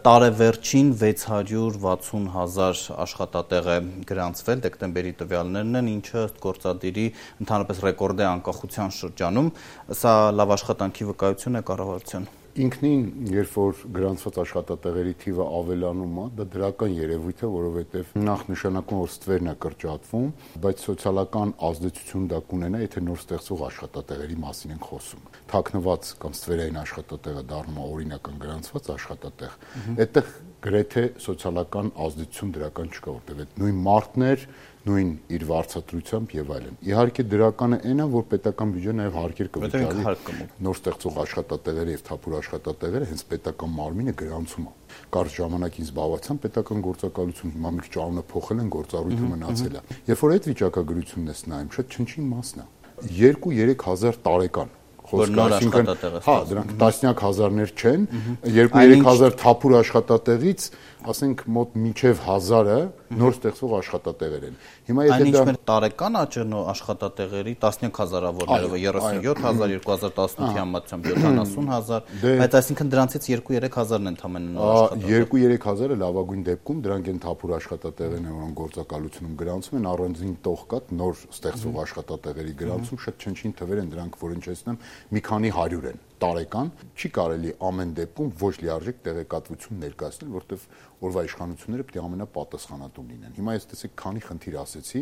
տարեվերջին 660,000 աշխատատեղ է գրանցվել, դեկտեմբերի տվյալներն են, ինչը գործադիրի ընդհանրապես ռեկորդ է անկախության շրջանում, սա լավ աշխատանքի վկայություն է կառավարության։ Ինքնին, երբ որ գրանցված աշխատատեղերի թիվը ավելանում է, դա դրական երևույթ է, որովհետև նախ նշանակում որ ստվերն է կրճատվում, բայց սոցիալական ազդեցություն դա կունենա, եթե նոր ստեղծվող աշխատատեղերի մասին ենք խոսում։ Թաքնված կամ ստվերային աշխատատեղը դառնում է օրինական գրանցված աշխատատեղ, այդտեղ գրեթե սոցիալական ազդեցություն դրական չկա, որտեղ այդ նույն մարդներ նույն իր վարձատրությամբ եւ այլն։ Իհարկե դրականը այն է, որ պետական բյուջեն նաև հարկեր կվճարի նոր ստեղծող աշխատատեղերը եւ թափուր աշխատատեղերը հենց պետական մարմինը գրանցում է։ Կարճ ժամանակ ինձ զբաղացան պետական գործակալություն, հիմա մի քիչ անունը փոխել են, գործառույթը մնացել է։ Երբ որ այդ վիճակագրությունն ես նայում, շատ չնչին մասն է։ 2-3 հազար տարեկան դրանք տասնյակ հազարներ չեն, 2-3 հազար թափուր աշխատատեղից, ասենք մոտ մինչև 1000-ը նոր ստեղծվող աշխատատեղեր են։ Հիմա եթե դա տարեկան աճն աշխատատեղերի տասնյակ հազարավորները 37,000, 2018-ի համեմատությամբ 70,000, բայց այսինքն դրանցից 2-3 հազարն են ընդամենը նոր աշխատատեղեր։ 2-3 հազարը լավագույն դեպքում դրանք են թափուր աշխատատեղերն են, որոնք գործակալությունում գրանցում են, առանձին տող կա նոր ստեղծվող աշխատատեղերի գրանցում, շատ չնչին թվեր են դրանք, որ ինչեցնեմ, մի քանի 100 են տարեկան, չի կարելի ամեն դեպքում ոչ լիարժեք տեղեկատվություն ներկայացնել, որտեղ օրվա իշխանությունները պետք է ամենապատասխանատուն լինեն։ Հիմա ես տեսեք քանի խնդիր ասեցի,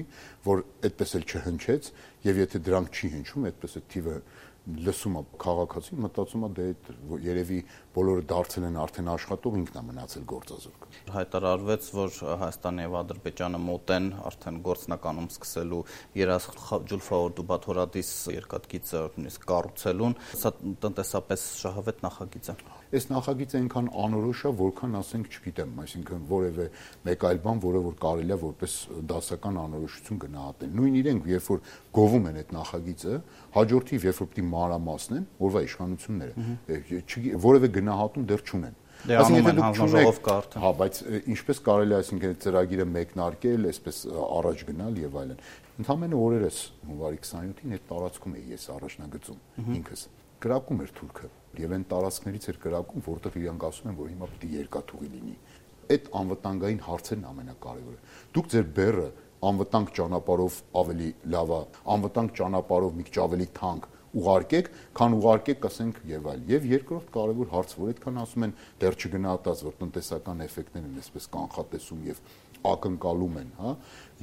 որ այդպես էլ չհնչեց, եւ եթե դրանք չի հնչում, այդպես է թիվը լսում է քաղաքացին, մտածում է դե երևի բոլորը դարձել են արդեն աշխատող, ինքն է մնացել գործազուրկ։ Հայտարարվեց, որ Հայաստանը եւ Ադրբեջանը մոտ են արդեն գործնականում սկսելու Երաս Ջուլֆաորդու Բաթորադիս երկաթգիծը նույնիսկ կառուցելուն, սա տնտեսապես շահավետ նախագիծ է։ Այս նախագիծը այնքան անորոշ է, որքան ասենք, չգիտեմ, այսինքն որևէ մեկ այլ բան, որը որ կարելի է որպես դասական անորոշություն գնահատել։ Նույն իրենք, երբ որ գովում են այդ նախագիծը, հաջորդիվ երբ որ պիտի մանրամասնեն, որվա իշխանությունները որևէ գնահատում դեռ չունեն։ Այսինքն հանձնաժողով կա արդեն։ Հա, բայց ինչպես կարելի է այսինքն այդ ծրագիրը մեկնարկել, այսպես առաջ գնալ եւ այլն։ Ընդհանրապես օրերս հունվարի 27-ին այդ տարածքում էի ես առաջնագծում ինքս։ Կրակում էր թուրքը եւ այն տարածքներից էր կրակում, որտեղ իրանք ասում են, որ հիմա պիտի երկաթուղի լինի։ Այդ անվտանգային հարցերն ամենակարևորը։ Դուք ձեր բեռը անվտանգ ճանապարհով ավելի լավ է, անվտանգ ճանապարհով մի քիչ ավելի թանկ ուղարկեք, քան ուղարկեք, ասենք, եւ այլ։ Եվ երկրորդ կարևոր հարց, որ այդքան ասում են դեռ չգնահատած, որ տնտեսական էֆեկտներն են այսպես կանխատեսում եւ ակնկալում են, հա,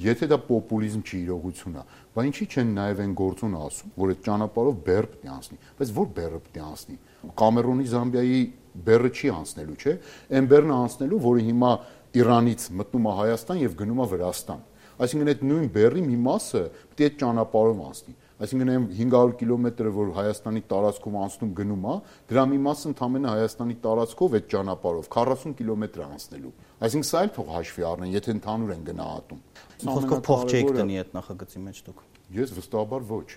եթե դա պոպուլիզմ չի, իրողություն է, բայց ինչի չեն նաեւ այն գործոնը ասում, որ այդ ճանապարհով բեռ պետք է անցնի, բայց որ բեռը պետք է անցնի։ Կամերոնի Զամբիայի բեռը չի անցնելու, չէ՞։ Այն բեռն է անցնելու, որը հիմա Իրանից մտնում է Հայաստան եւ գնում է Վրաստան։ Այսինքն այդ նույն բեռի մի մասը պետք է այդ ճանապարհով անցնի։ Այսինքն այն 500 կիլոմետրը, որ Հայաստանի տարածքով անցնում գնում է, դրա մի մասը ընդամենը Հայաստանի տարածքով այդ ճանապարհով 40 կիլոմետր անցնելու։ Այսինքն սա էլ թող հաշվի առնեն, եթե ընդհանուր են գնահատում։ Խոսքով փող չեք տնի այդ նախագծի մեջ դուք։ Ես վստահաբար ոչ։